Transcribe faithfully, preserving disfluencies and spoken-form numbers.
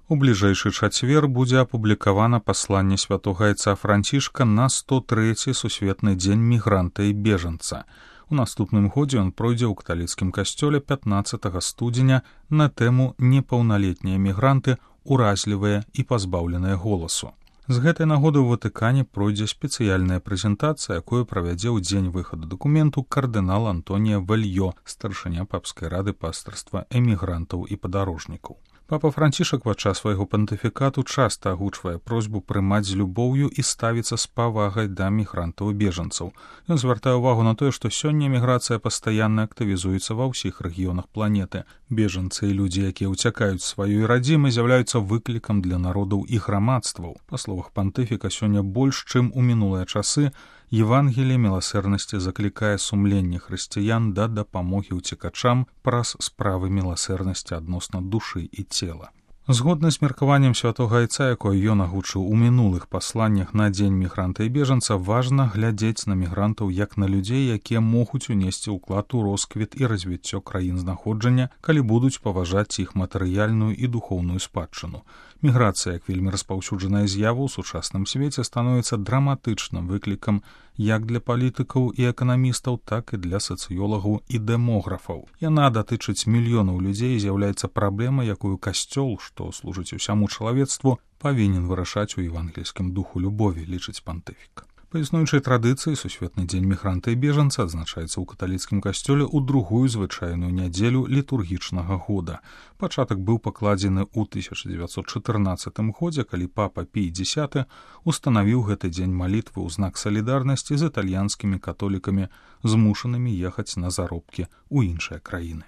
У бліжэйшы чацвер будзе апублікавана пасланне святога айца Францішка на сто трэці сусветны дзень мігранта і бежанца. У наступным годзе ён пройдзе ў каталіцкім касцёле пятнаццатага студзеня на тэму «Непаўналетнія мігранты, уразлівыя і пазбаўленыя голасу». З гэтай нагоды ў Ватыкане пройдзе спецыяльная прэзентацыя, якую правядзе ў дзень выхаду дакументу кардынал Антонія Вальё, старшыня папскай рады пастырства эмігрантаў і падарожнікаў. Папа Францішак падчас свайго пантыфікату часта агучвае просьбу прымаць з любоўю і ставіцца з павагай да мігрантаў і бежанцаў. Ён звяртае ўвагу на тое, што сёння міграцыя пастаянна актывізуецца ва ўсіх рэгіёнах планеты. Бежанцы і людзі, якія ўцякаюць сваёй радзімы, з'яўляюцца выклікам для народаў і грамадстваў. Па словах пантыфіка, сёння больш, чым у мінулыя часы, Евангелие міласэрнасці заклікае сумленне хрысціян да дапамогі ўцекачам праз справы міласэрнасці адносна душы і цела. Згодна з меркаваннем святога айца, якое ён агучыў у мінулых пасланнях на дзень мігранта і бежанца, важна глядзець на мігрантаў як на людзей, якія могуць унесці ўклад у росквіт і развіццё краін знаходжання, калі будуць паважаць іх матэрыяльную і духоўную спадчыну. Міграцыя, як вельмі распаўсюджаная з'ява ў сучасным свеце, становіцца драматычным выклікам як для палітыкаў і эканамістаў, так і для сацыёлагаў і дэмографаў. Яна датычыць мільёнаў людзей і з'яўляецца праблемай, якую касцёл, што служыць усяму чалавецтву, павінен вырашаць у евангельскім духу любові, лічыць пантыфік. Па існуючай традыцыі сусветны дзень мігранта і бежанца адзначаецца ў каталіцкім касцёле ў другую звычайную нядзелю літургічнага года. Пачатак быў пакладзены ў тысяча дзевяцьсот чатырнаццатым годзе, калі папа Пій дзесяты устанавіў гэты дзень малітвы ў знак салідарнасці з італьянскімі католікамі, змушанымі ехаць на заробкі ў іншыя краіны.